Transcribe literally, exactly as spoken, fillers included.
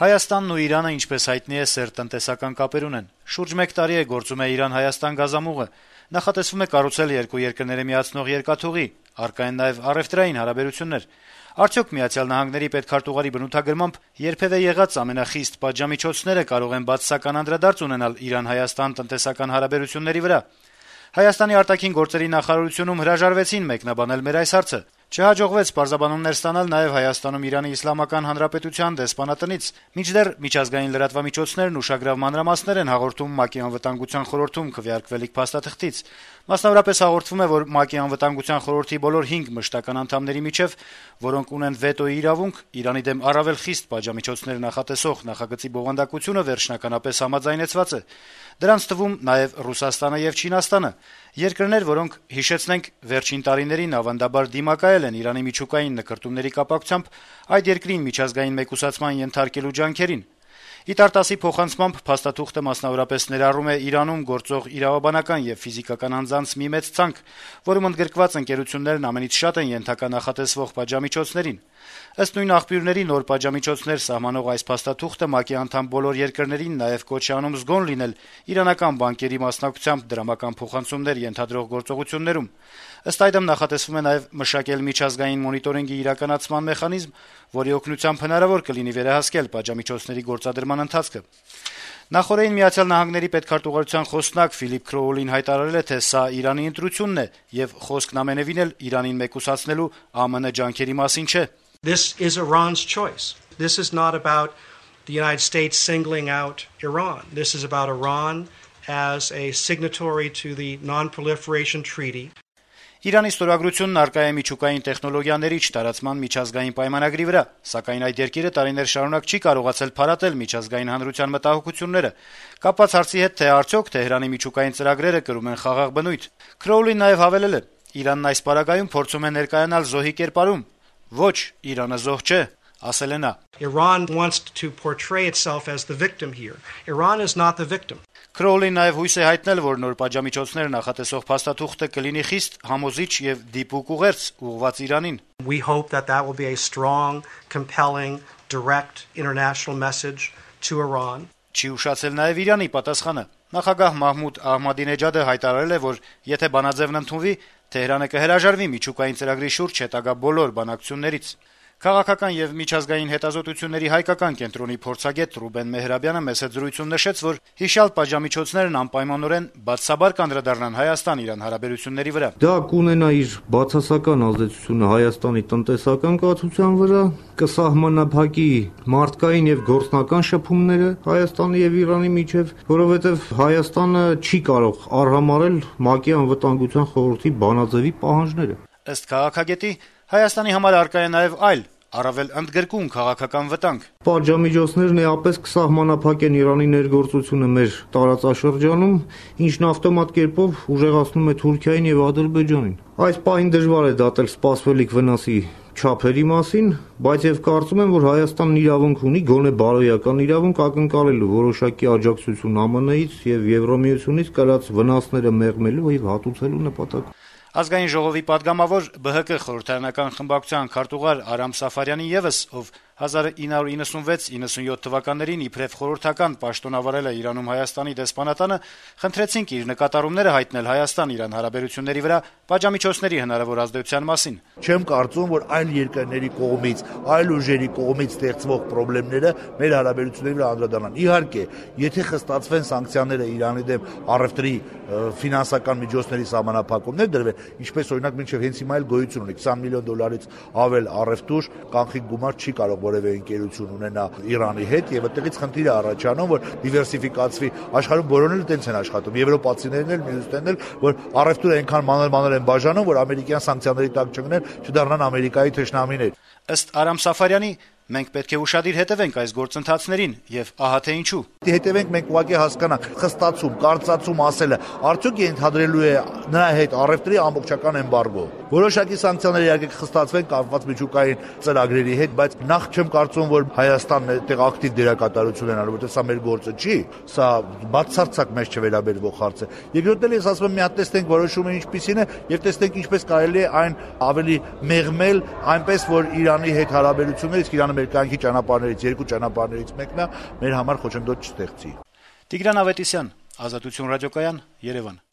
Հայաստանն ու Իրանը, ինչպես հայտնի է, սերտ տնտեսական կապեր ունեն։ Շուրջ մեկ տարի է գործում է Իրան-Հայաստան գազամուղը։ Նախատեսվում է կառուցել երկու երկրները միացնող երկաթուղի, առկա են նաև առևտրային հարաբերություններ։ Արդյոք Միացյալ Նահանգների պետքարտուղարի բնութագրմամբ երբևէ եղած ամենախիստ պատժամիջոցները կարող են բացասական անդրադարձ ունենալ Իրան-Հայաստան տնտեսական հարաբերությունների վրա։ Հայաստանի արտաքին գործերի նախարարությունում հրաժարվեցին մեկնաբանել մեր այս հարցը։ Չհաջողվեց պարզաբանումներ ստանալ նաև Հայաստանում Իրանի Իսլամական Հանրապետության դեսպանատնից, մինչդեռ միջազգային լրատվամիջոցներն ուշագրավ մանրամասներ են հաղորդում ՄԱԿ-ի անվտանգության խորհրդում քվեարկվելիք փաստաթղթից։ Մասնավորապես հաղորդվում է, որ ՄԱԿ-ի անվտանգության խորհրդի բոլոր հինգ մշտական անդամների միջև, որոնք ունեն վետոյի իրավունք, Իրանի դեմ առավել խիստ պատժամիջոցներ նախատեսող նախագծի բովանդակությունը վերջնականապես համաձայնեցված է։ Դրանց թվում նաև Ռուսաստանը եւ Չինաստանը, երկրներ, որոնք, հիշեցնենք, վերջին տարիներին ավանդաբար դիմակայել են Իրանի միջուկային նկրտումների կապակցությամբ այդ երկրին միջազգային մեկուսացման ենթարկելու ջանքերին։ Իտարտասի փոխանցմամբ փաստաթուղթը մասնավորապես ներառում է Իրանում գործող իրավաբանական եւ ֆիզիկական անձանց մի մեծ ցանկ, որում ընդգրկված ընկերություններն ամենից շատ են ենթակա նախատեսվող պատժամիջոցներին։ Ըստ նույն աղբյուրների, նոր պատժամիջոցներ սահմանող այս փաստաթուղթը ՄԱԿ-ի անդամ բոլոր երկրներին նաեւ կոչ է անում զգոն լինել իրանական բանկերի մասնակցությամբ դրամական փոխանցումներ ենթադրող գործողություններում։ Ըստ այդմ նախատեսվում է նաեւ մշակել միջազգային մոնիտորինգի իրականացման մեխանիզմ, որի օգնությամբ հնարավոր կլինի վերահասկել պատժամիջոցների գործադրման ընթացքը։ Նախորդին Միացյալ Նահանգների պետքարտուղարության խոսնակ Ֆիլիպ Քրոուլին հայտարարել է, թե սա Իրանի ընտրությունն է եւ խոսքն ամենեւին էլ Իրանին մեկուսացնելու ԱՄՆ ջանքերի մասին չէ։ This is Iran's choice. This is not about the United States singling out Iran. This is about Iran as a signatory to the Non-Proliferation Treaty. Իրանի ստորագրությունն առկա է միջուկային տեխնոլոգիաների չտարածման միջազգային պայմանագրի վրա, սակայն այդ երկիրը տարիներ շարունակ չի կարողացել փարատել միջազգային հանրության մտահոգությունները։ Կապված հարցի հետ, թե արդյոք Թեհրանի միջուկային ծրագրերը կրում են խաղաղ բնույթ, Քրոուլին նաև հավելել է. Իրանն այս պարագայում փորձում է ներկայանալ զոհի կերպարում։ Ոչ, Իրանը զոհ չէ, ասել է նա։ Iran wants to portray itself as the victim here. Iran is not the victim. Քրոուլին նաև հույս է հայտնել, որ նոր պատժամիջոցներ նախատեսող փաստաթուղթը կլինի խիստ համոզիչ եւ դիպուկ ուղերձ ուղղված Իրանին։ We hope that that will be a strong, compelling, direct international message to Iran. Չի ուշացել նաև Իրանի պատասխանը։ Նախագահ Մահմուդ Ահմադինեջադը հայտարարել է, որ եթե բանաձևն ընդունվի, Թեհրանը կհրաժարվի միջուկային ծրագրի շուրջ հետագա բոլոր բանակցություններից։ Քաղաքական եւ միջազգային հետազոտությունների հայկական կենտրոնի փորձագետ Ռուբեն Մեհրաբյանը մեծ զրույցում նշեց, որ հիշյալ պատժամիջոցներն անպայմանորեն բացասաբար կանդրադառնան Հայաստան-Իրան հարաբերությունների վրա։ Դա կունենա իր բացասական ազդեցությունը Հայաստանի տնտեսական կացության վրա, կսահմանափակի մարդկային եւ գործնական շփումները Հայաստանի եւ Իրանի միջեւ, որովհետեւ Հայաստանը չի կարող արհամարել ՄԱԿ-ի անվտանգության խորհրդի բանաձևի պահանջները։ Ըստ քաղաքագետի, Հայաստանի համար առկա է նաև այլ, առավել ընդգրկուն քաղաքական վտանգ։ Պատժամիջոցներն էապես կսահմանափակեն Իրանի ներգործությունը մեր տարածաշրջանում, ինչն ավտոմատ կերպով ուժեղացնում է Թուրքիային եւ Ադրբեջանին։ Այս պահին դժվար է դատել սպասվելիք վնասի չափերի մասին, բայց եւ կարծում եմ, որ Հայաստանն իրավունք ունի գոնե բարոյական իրավունք ակնկալելու որոշակի աջակցություն ԱՄՆ-ից եւ Եվրոմիությունից կրած վնասները մեղմելու եւ հատուցելու նպատակով։ Ազգային ժողովի падգամավոր Բ Հ Կ խորհրդարանական խմբակցության քարտուղար Արամ Սաֆարյանի եւս, ով հազար ինը հարյուր իննսունվեց իննսունյոթ թվականներին իբրև խորհրդական պաշտոնավարել է Իրանում Հայաստանի դեսպանատանը, խնդրեցինք իր նկատառումները հայտնել Հայաստան-Իրան հարաբերությունների վրա պատժամիջոցների հնարավոր ազդեցության մասին։ Չեմ կարծում, որ այլ երկրների կողմից, այլ ուժերի կողմից ստեղծվող խնդիրները մեր հարաբերությունների վրա անդրադառնան։ Իհարկե, եթե խստացվեն սանկցիաները Իրանի դեմ առևտրի ֆինանսական միջոցների սահմանափակումներ դրվեն, ինչպես օրինակ մինչև հենց հիմա էլ գոյություն ունի քսան միլիոն դոլարից ավել առևտուր, կանխիկ գումար չի կարող որևէ ընկերություն ունենա Իրանի հետ եւ այդտեղից խնդիր է առաջանում, որ դիվերսիֆիկացվի, աշխարհում բոլորն էլ տենց են աշխատում, եվրոպացիներն էլ, մյուսներն էլ, որ առևտուրը այնքան մանր-մանր են բաժանում, որ ամերիկյան սանկցիաների տակ չգնեն, չդառնան Ամերիկայի թշնամիներ։ Ըստ Արամ Սաֆարյանի, մենք պետք է ուշադիր հետևենք այս գործընթացներին եւ ահա թե ինչու։ Հետևենք մենք ուղղակի հասկանանք, խստացում, կարծացում ասելը, արդյոք ենթադրելու է նրա հետ առևտրի ամբողջական էմբարգո։ Որոշակի սանկցիաներ իհարկե կխստացվեն կապված միջուկային ծրագրերի հետ, բայց նախ չեմ կարծում, որ Հայաստանն այդտեղ ակտիվ դերակատարություն են անում, որովհետեւ սա մեր գործը չի, սա բացարձակ մեզ չվերաբերվող հարց է։ Երկրորդն էլ ես ասում եմ, մի հատ տեսնենք որոշումը ինչպիսին է եւ տեսնենք ինչպես կարելի է այն ավելի մեղմել, այնպես որ Իրանի հետ հարաբերությունները, իսկ Իրանը մեր կյանքի ճանապարհներից երկու ճանապարհներից մեկն է, մեր համար խոչընդոտ չստեղծի։ Տիգրան Ավետիսյան, Ազատություն ռադիոկայան, Երևան։